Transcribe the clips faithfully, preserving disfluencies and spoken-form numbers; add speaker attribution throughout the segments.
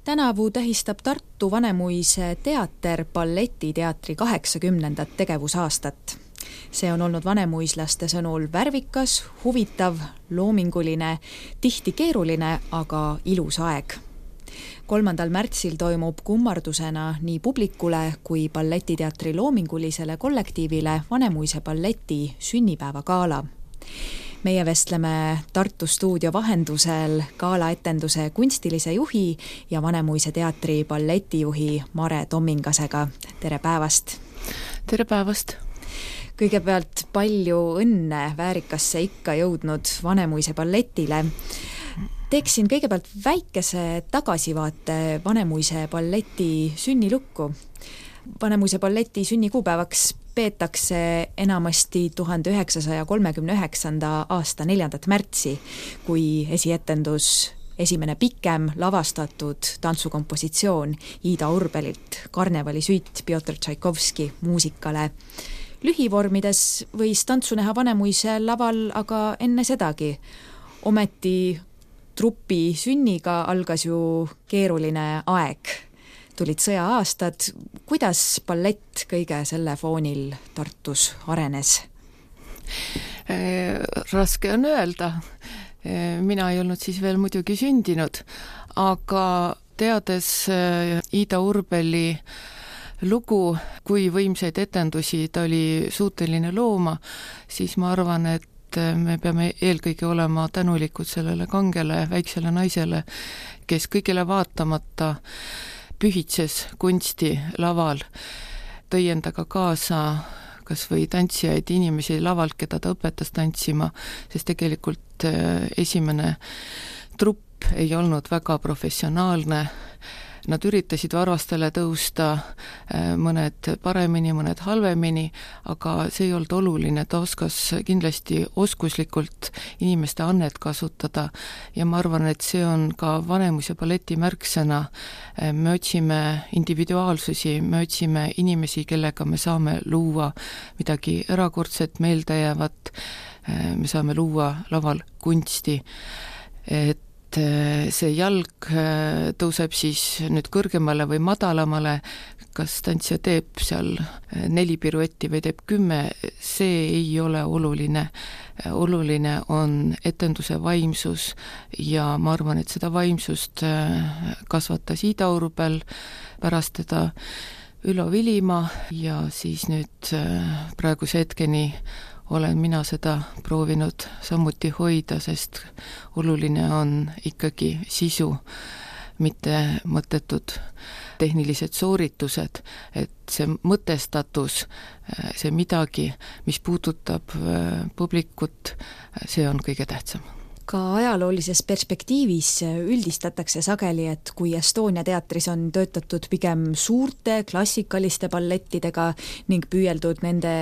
Speaker 1: Tänavu tähistab Tartu Vanemuise teater balletiteatri kaheksakümnendat tegevusaastat. See on olnud vanemuislaste sõnul värvikas, huvitav, loominguline, tihti keeruline, aga ilus aeg. kolmandal märtsil toimub kummardusena nii publikule kui balletiteatri loomingulisele kollektiivile Vanemuise balleti sünnipäevagaala. Meie vestleme Tartu stuudio vahendusel gaalaetenduse kunstilise juhi ja Vanemuise teatri balletijuhi Mare Tommingasega. Tere päevast!
Speaker 2: Tere päevast!
Speaker 1: Kõigepealt palju õnne väärikasse ikka jõudnud Vanemuise balletile. Teeksin kõigepealt väikese tagasivaate Vanemuise balleti sünnilukku. Vanemuise balleti sünnikuupäevaks peetakse enamasti tuhande üheksasaja kolmekümne üheksanda aasta neljandat märtsi, kui esietendus esimene pikem lavastatud tantsukompositsioon Ida Urbelilt Karnevali süit Pjotr Tšaikovski muusikale. Lühivormides võis tantsu näha Vanemuise laval aga enne sedagi. Ometi trupi sünniga algas ju keeruline aeg. Tulid sõja-aastad. Kuidas ballett kõige selle foonil Tartus arenes?
Speaker 2: Raske on öelda. Mina ei olnud siis veel muidugi sündinud, aga teades Ida Urbeli lugu, kui võimsaid etendusi ta oli suuteline looma, siis ma arvan, et me peame eelkõige olema tänulikud sellele kangele väiksele naisele, kes kõigele vaatamata pühitses kunsti laval, tõi endaga kaasa kas või tantsijaid inimesi lavalt, keda ta õpetas tantsima, sest tegelikult esimene trupp ei olnud väga professionaalne. Nad üritasid varvastele tõusta, mõned paremini, mõned halvemini, aga see ei olnud oluline, ta oskas kindlasti oskuslikult inimeste annet kasutada ja ma arvan, et see on ka Vanemuise balleti märksõna. Me otsime individuaalsusi, me otsime inimesi, kellega me saame luua midagi erakordset, meeldejäävat, me saame luua laval kunsti, et see jalg tõuseb siis nüüd kõrgemale või madalamale, kas tantsija teeb seal neli piruetti või teeb kümme, see ei ole oluline. Oluline on etenduse vaimsus ja ma arvan, et seda vaimsust kasvatas Ida Urbel, pärast teda Ülo Vilimaa ja siis nüüd praeguse hetkeni olen mina seda proovinud samuti hoida, sest oluline on ikkagi sisu, mitte mõttetud tehnilised sooritused, et see mõtestatus, see midagi, mis puudutab publikut, see on kõige tähtsam.
Speaker 1: Ka ajaloolises perspektiivis üldistatakse sageli, et kui Estonia teatris on töötatud pigem suurte klassikaliste ballettidega ning püüeldud nende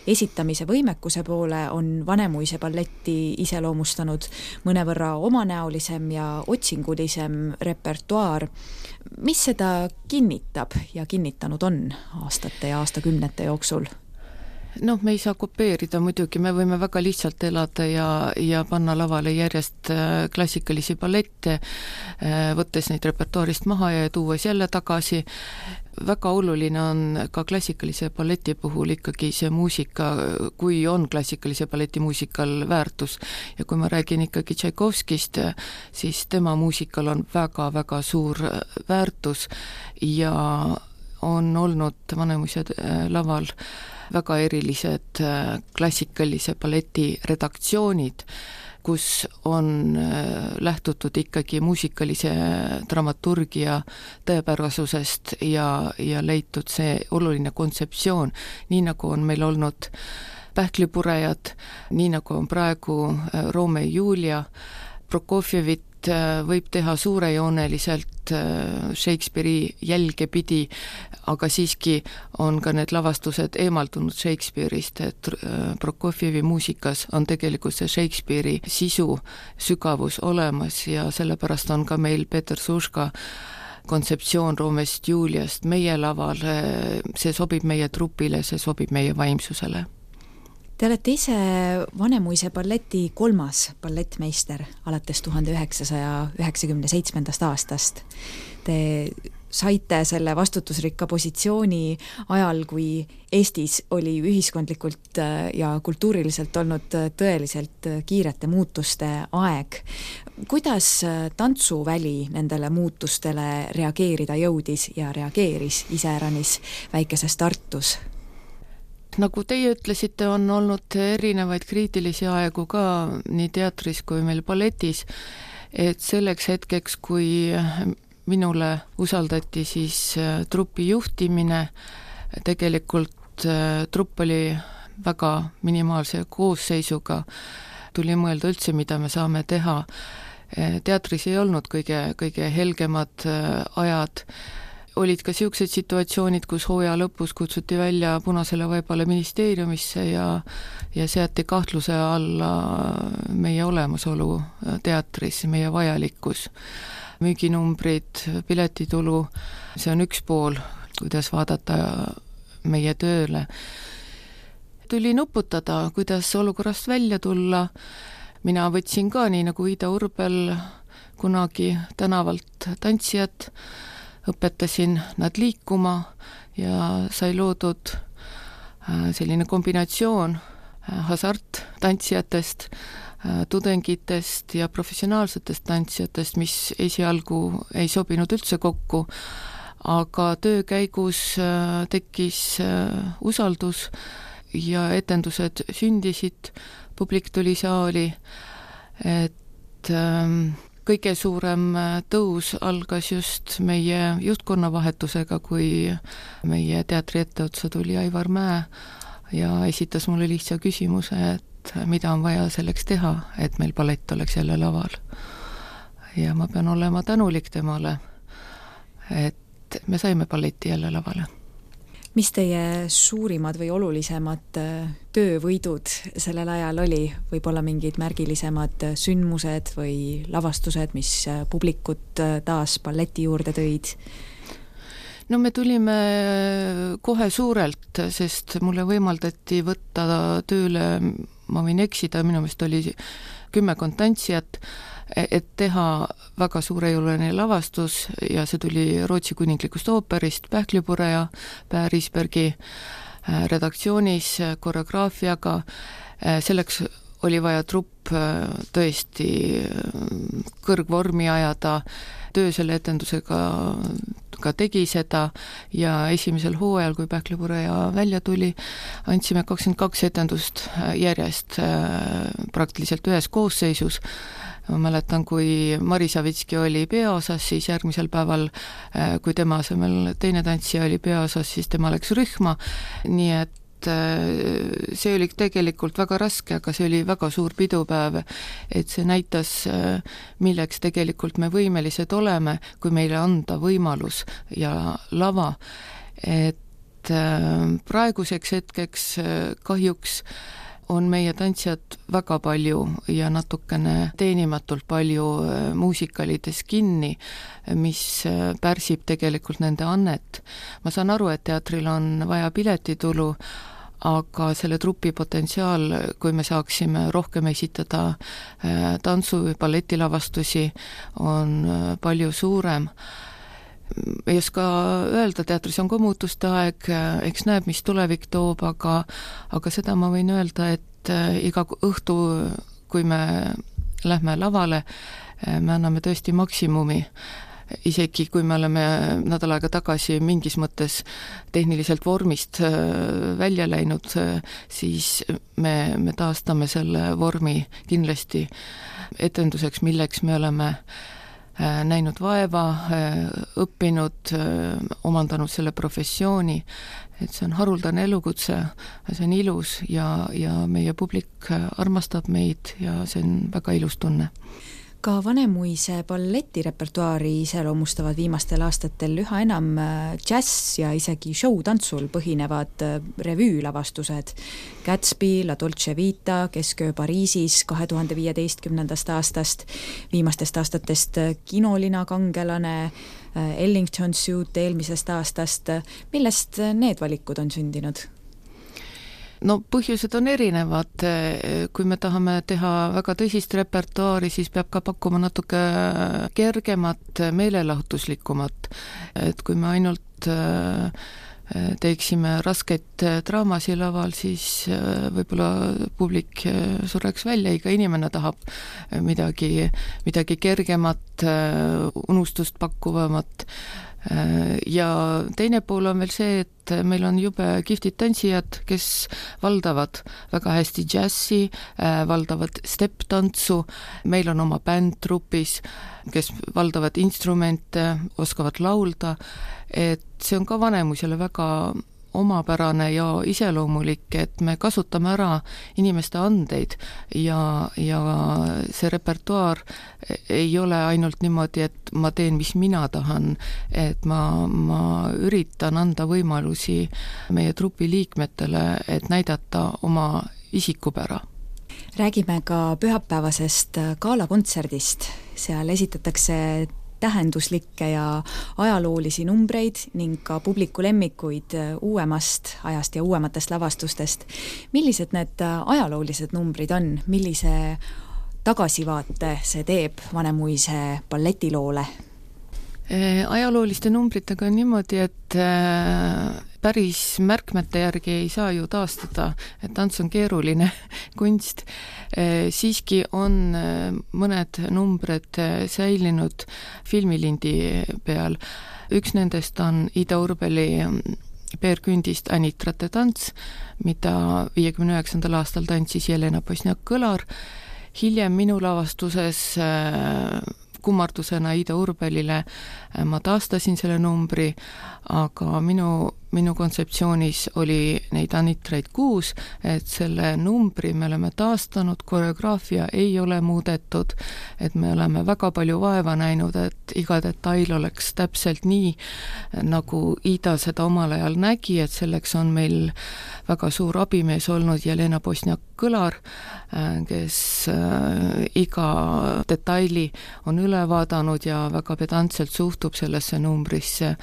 Speaker 1: esitamise võimekuse poole, on Vanemuise balletti iseloomustanud mõnevõrra omanäolisem ja otsingulisem repertuaar. Mis seda kinnitab ja kinnitanud on aastate ja aastakümnete jooksul?
Speaker 2: Noh, me ei saa kopeerida muidugi, me võime väga lihtsalt elada ja, ja panna lavale järjest klassikalisi ballette, võttes neid repertuaarist maha ja tuues jälle tagasi. Väga oluline on ka klassikalise balleti puhul ikkagi see muusika, kui on klassikalise balleti muusikal väärtus. Ja kui ma räägin ikkagi Tšaikovskist, siis tema muusikal on väga-väga suur väärtus ja on olnud Vanemuise laval väga erilised klassikalise balleti redaktsioonid, kus on lähtutud ikkagi muusikalise dramaturgia tõepärasusest ja, ja leitud see oluline kontseptsioon, nii nagu on meil olnud Pähklipurejad, nii nagu on praegu Romeo ja Julia, Prokofjevit võib teha suurejooneliselt Shakespeare'i jälge pidi, aga siiski on ka need lavastused eemaldunud Shakespeare'ist, et Prokofjevi muusikas on tegelikult see Shakespeare'i sisu, sügavus olemas ja sellepärast on ka meil Peter Suška kontseptsioon Romeost Juliast meie laval, see sobib meie trupile, see sobib meie vaimsusele.
Speaker 1: Te olete ise Vanemuise balleti kolmas ballettmeister alates tuhande üheksasaja üheksakümne seitsmendast aastast. Te saite selle vastutusrikka positsiooni ajal, kui Eestis oli ühiskondlikult ja kultuuriliselt olnud tõeliselt kiirete muutuste aeg. Kuidas tantsuväli nendele muutustele reageerida jõudis ja reageeris iseäranis väikeses Tartus?
Speaker 2: Nagu teie ütlesite, on olnud erinevaid kriitilisi aegu ka nii teatris kui meil balletis, et selleks hetkeks, kui minule usaldati siis trupi juhtimine, tegelikult trupp oli väga minimaalse koosseisuga, tuli mõelda üldse, mida me saame teha. Teatris ei olnud kõige, kõige helgemad ajad, olid ka siuksed situatsioonid, kus hooaja lõpus kutsuti välja Punasele vaibale ministeeriumisse ja, ja seati kahtluse alla meie olemasolu teatris, meie vajalikkus. Müüginumbrid, piletitulu, see on üks pool, kuidas vaadata meie tööle. Tuli nuputada, kuidas olukorrast välja tulla. Mina võtsin ka, nii nagu Ida Urbel, kunagi tänavalt tantsijad, õpetasin nad liikuma ja sai loodud selline kombinatsioon hasarttantsijatest, tudengitest ja professionaalsetest tantsijatest, mis esialgu ei sobinud üldse kokku, aga töö käigus tekkis usaldus ja etendused sündisid, publik tuli saali, et kõige suurem tõus algas just meie juhtkonna vahetusega, kui meie teatri etteotsa tuli Aivar Mäe ja esitas mulle lihtsa küsimuse, et mida on vaja selleks teha, et meil ballett oleks jälle laval. Ja ma pean olema tänulik temale, et me saime balletti jälle lavale.
Speaker 1: Mis teie suurimad või olulisemad töövõidud sellel ajal oli? Võib-olla mingid märgilisemad sündmused või lavastused, mis publikut taas balleti juurde tõid?
Speaker 2: No me tulime kohe suurelt, sest mulle võimaldati võtta tööle, ma võin eksida, minu meelest oli kümmekond tantsijat, et teha väga suurejõuline lavastus ja see tuli Rootsi kuninglikust ooperist Pähklipureja Per Isbergi redaktsioonis koreograafiaga. Selleks oli vaja trupp tõesti kõrgvormi ajada, töö selle etendusega ka tegi seda ja esimesel hooajal, kui Pähklipureja välja tuli, andsime kakskümmend kaks etendust järjest praktiliselt ühes koosseisus. Ma mäletan, kui Mari Savitski oli peaosas, siis järgmisel päeval, kui tema asemel teine tantsija oli peaosas, siis tema läks rühma, nii et see oli tegelikult väga raske, aga see oli väga suur pidupäev, et see näitas, milleks tegelikult me võimelised oleme, kui meile anda võimalus ja lava, et praeguseks hetkeks kahjuks on meie tantsijad väga palju ja natukene teenimatult palju muusikalides kinni, mis pärsib tegelikult nende annet. Ma saan aru, et teatril on vaja piletitulu, aga selle trupi potentsiaal, kui me saaksime rohkem esitada tantsu- või balletilavastusi, on palju suurem. Ei oska öelda, teatris on ka muutuste aeg, eks näeb, mis tulevik toob, aga, aga seda ma võin öelda, et iga õhtu, kui me lähme lavale, me anname tõesti maksimumi. Isegi kui me oleme nädal aega tagasi mingis mõttes tehniliselt vormist välja läinud, siis me, me taastame selle vormi kindlasti etenduseks, milleks me oleme näinud vaeva, õppinud, omandanud selle professiooni, et see on haruldane elukutse, see on ilus ja, ja meie publik armastab meid ja see on väga ilus tunne.
Speaker 1: Ka Vanemuise balletirepertuaari iseloomustavad viimastel aastatel üha enam džäss ja isegi show-tantsul põhinevad revüülavastused. Gatsby, La Dolce Vita, Kesköö Pariisis kahe tuhande viieteistkümnendast aastast, viimastest aastatest Kinolina kangelane, Ellington Suit eelmisest aastast. Millest need valikud on sündinud?
Speaker 2: no põhjused on erinevad, kui me tahame teha väga tõsist repertuaari, siis peab ka pakkuma natuke kergemat, meelelahutuslikumat, et kui me ainult teeksime raskeid draamasi laval, siis võib-olla publik sureks välja, iga inimene tahab midagi, midagi kergemat, unustust pakkuvamat. Ja teine pool on veel see, et meil on jube kihvtid tantsijad, kes valdavad väga hästi džässi, valdavad step-tantsu, meil on oma bänd trupis, kes valdavad instrumente, oskavad laulda, et see on ka Vanemuisele väga omapärane ja iseloomulik, et me kasutame ära inimeste andeid ja, ja see repertuaar ei ole ainult niimoodi, et ma teen, mis mina tahan, et ma, ma üritan anda võimalusi meie trupi liikmetele, et näidata oma isikupära.
Speaker 1: Räägime ka pühapäevasest gaalakontserdist, seal esitatakse tähenduslikke ja ajaloolisi numbreid ning ka publiku lemmikuid uuemast ajast ja uuematest lavastustest. Millised need ajaloolised numbrid on? Millise tagasivaate see teeb Vanemuise balletiloole?
Speaker 2: Ajalooliste numbritega on niimoodi, et päris märkmete järgi ei saa ju taastada, et tants on keeruline kunst. Siiski on mõned numbrid säilinud filmilindi peal. Üks nendest on Ida Urbeli Peer Kündist Anitrate tants, mida viiekümne üheksandal aastal tantsis Jelena Bosniak-Kõlar. Hiljem minu lavastuses kummardusena Ida Urbelile ma taastasin selle numbri, aga minu, minu kontseptsioonis oli neid anitraid kuus, et selle numbri me oleme taastanud, koreograafia ei ole muudetud, et me oleme väga palju vaeva näinud, et iga detail oleks täpselt nii, nagu Ida seda omal ajal nägi, et selleks on meil väga suur abimees olnud Jelena Bosniak-Kõlar, kes iga detaili on üle vaadanud ja väga pedantselt suhtub sellesse numbrisse.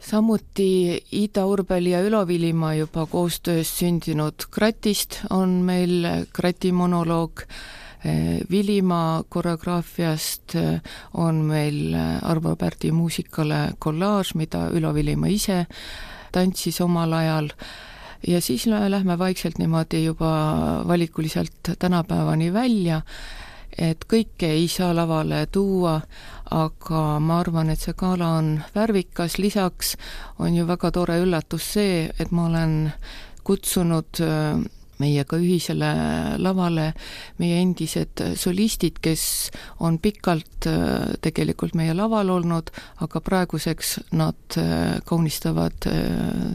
Speaker 2: Samuti Ida Urbeli ja Ülo Vilimaa juba koostöös sündinud Kratist on meil Krati monoloog. Vilimaa koreograafiast on meil Arvo Pärdi muusikale kollaaž, mida Ülo Vilimaa ise tantsis omal ajal. Ja siis lähme vaikselt niimoodi juba valikuliselt tänapäevani välja, et kõike ei saa lavale tuua, aga ma arvan, et see gala on värvikas, lisaks on ju väga tore üllatus see, et ma olen kutsunud meiega ühisele lavale meie endised solistid, kes on pikalt tegelikult meie laval olnud, aga praeguseks nad kaunistavad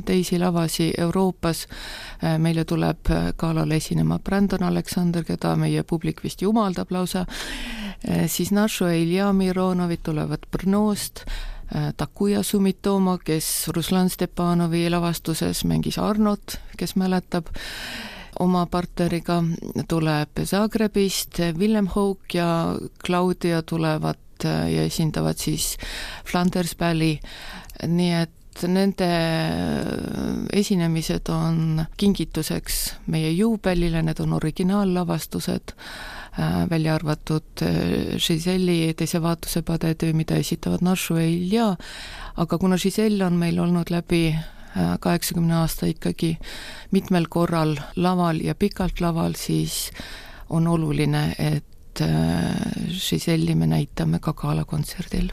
Speaker 2: teisi lavasi Euroopas. Meile tuleb galale esinema Brandon Alexander, keda meie publik vist jumaldab lausa, siis Našo Ilja Mironovid tulevad Brnost, Takuja Sumitomo, kes Ruslan Stepanovi lavastuses mängis Arnot, kes mäletab, oma partneriga tuleb Zagrebist, Willem Hook ja Claudia tulevad ja esindavad siis Flanders Balli, nii et nende esinemised on kingituseks meie juubelile, need on originaallavastused, välja arvatud Giseli teise vaatuse padetöö, mida esitavad Našo ja Ilja, aga kuna Giselle on meil olnud läbi kaheksakümne aasta ikkagi mitmel korral laval ja pikalt laval, siis on oluline, et Giselli me näitame ka gaalakontserdil.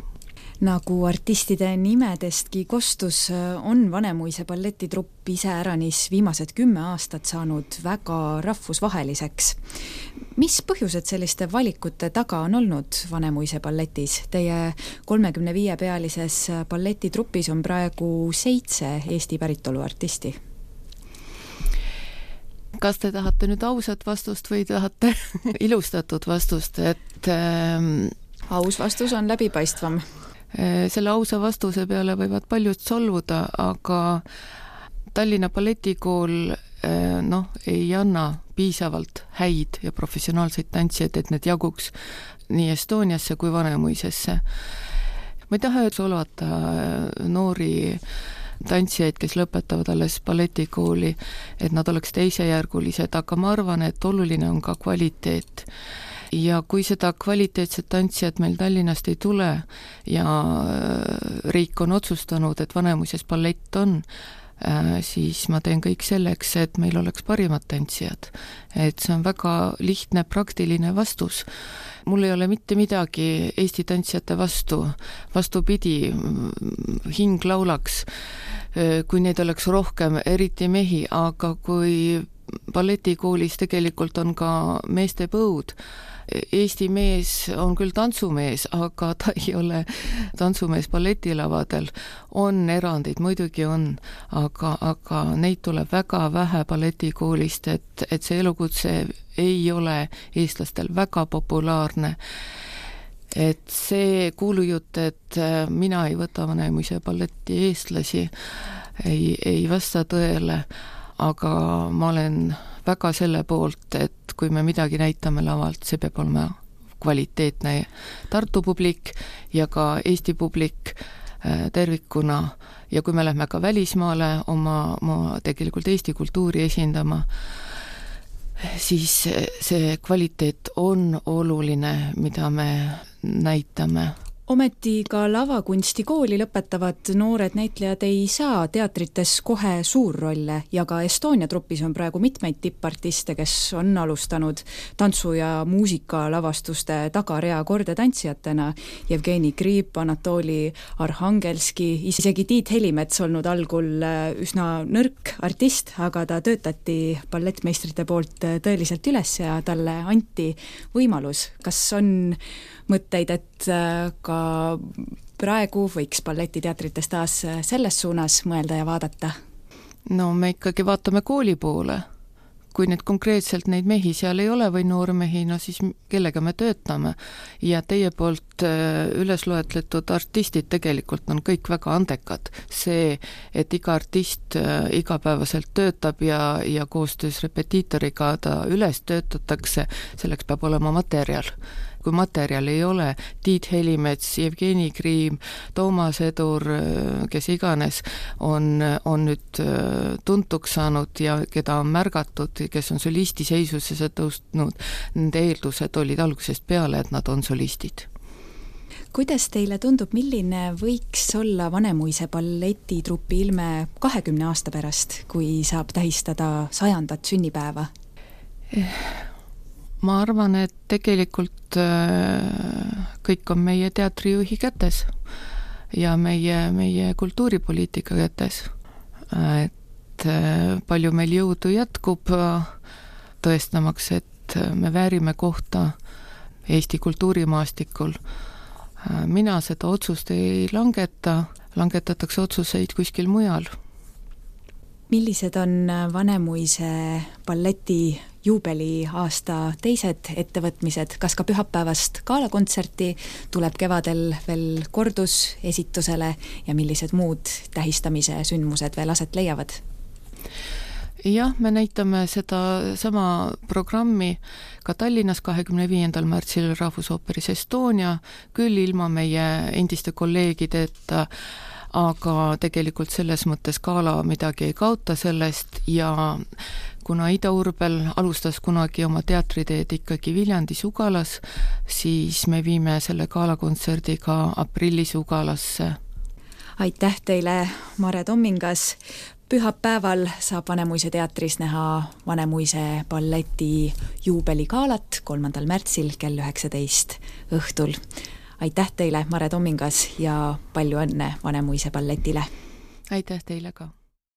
Speaker 1: Nagu artistide nimedestki kostus, on Vanemuise balletitrupp ise äranis viimased kümme aastat saanud väga rahvusvaheliseks. Mis põhjused selliste valikute taga on olnud Vanemuise balletis? Teie kolmekümne viie pealises balletitrupis on praegu seitse Eesti päritolu artisti.
Speaker 2: Kas te tahate nüüd ausat vastust või tahate ilustatud vastust? Et, ähm,
Speaker 1: aus vastus on läbipaistvam.
Speaker 2: Selle ausa vastuse peale võivad paljud solvuda, aga Tallinna balletikool noh, ei anna piisavalt häid ja professionaalseid tantsijaid, et need jaguks nii Estoniasse kui Vanemuisesse. Ma ei taha solvata noori tantsijaid, kes lõpetavad alles balletikooli, et nad oleks teisejärgulised, aga ma arvan, et oluline on ka kvaliteet. Ja kui seda kvaliteetset tantsijat meil Tallinnast ei tule ja riik on otsustanud, et Vanemuises ballett on, siis ma teen kõik selleks, et meil oleks parimad tantsijad. Et see on väga lihtne, praktiline vastus. Mul ei ole mitte midagi Eesti tantsijate vastu, vastupidi, hing laulaks, kui neid oleks rohkem, eriti mehi, aga kui balletikoolis tegelikult on ka meeste põud, Eesti mees on küll tantsumees, aga ta ei ole tantsumees balletilavadel. On erandeid, muidugi on, aga, aga neid tuleb väga vähe balletikoolist, et, et see elukutse ei ole eestlastel väga populaarne. Et see kuulujutt, et mina ei võta Vanemuise balleti eestlasi, ei, ei vasta tõele, aga ma olen väga selle poolt, et kui me midagi näitame lavalt, see peab olema kvaliteetne Tartu publik ja ka Eesti publik tervikuna. Ja kui me lähme ka välismaale oma, oma tegelikult Eesti kultuuri esindama, siis see kvaliteet on oluline, mida me näitame.
Speaker 1: Ometi ka lavakunstikooli lõpetavad noored näitlejad ei saa teatrites kohe suurrolle ja ka Estonia trupis on praegu mitmeid tippartiste, kes on alustanud tantsu- ja muusikalavastuste tagarea kordetantsijatena. Jevgeni Kriip, Anatoli Arhangelski, isegi Tiit Helimets olnud algul üsna nõrk artist, aga ta töötati ballettmeistrite poolt tõeliselt üles ja talle anti võimalus. Kas on mõtteid, et ka praegu võiks balletiteatrites taas selles suunas mõelda ja vaadata?
Speaker 2: No me ikkagi vaatame kooli poole. Kui need konkreetselt neid mehi seal ei ole või noormehi, no siis kellega me töötame. Ja teie poolt üles loetletud artistid tegelikult on kõik väga andekad. See, et iga artist igapäevaselt töötab ja, ja koostöös repetiitoriga ta üles töötatakse, selleks peab olema materjal. Kui materjal ei ole, Tiit Helimets, Jevgeni Kriim, Toomas Edur, kes iganes, on, on nüüd tuntuks saanud ja keda on märgatud, kes on solisti seisusesse tõustnud, nende eeldused olid algusest peale, et nad on solistid.
Speaker 1: Kuidas teile tundub, milline võiks olla Vanemuise balletitrupi ilme kahekümne aasta pärast, kui saab tähistada sajandat sünnipäeva?
Speaker 2: Ma arvan, et tegelikult kõik on meie teatrijuhi kätes ja meie, meie kultuuripoliitika kätes. Et palju meil jõudu jätkub tõestamaks, et me väärime kohta Eesti kultuurimaastikul. Mina seda otsust ei langeta, langetatakse otsuseid kuskil mujal.
Speaker 1: Millised on Vanemuise balleti juubeli aasta teised ettevõtmised? Kas ka pühapäevast gaalakontserti tuleb kevadel veel kordus esitusele ja millised muud tähistamise sündmused veel aset leiavad?
Speaker 2: Jah, me näitame seda sama programmi ka Tallinnas kahekümne viiendal märtsil Rahvusooperis Estonia, küll ilma meie endiste kolleegideta, aga tegelikult selles mõttes gaala midagi ei kaota sellest ja kuna Ida Urbel alustas kunagi oma teatriteed ikkagi Viljandis Ugalas, siis me viime selle gaalakontserdiga aprillis Ugalasse.
Speaker 1: Aitäh teile, Mare Tommingas! Pühapäeval saab Vanemuise teatris näha Vanemuise balleti juubeligaalat kolmandal märtsil kell üheksateist õhtul. Aitäh teile, Mare Tommingas, ja palju õnne Vanemuise balletile!
Speaker 2: Aitäh teile ka!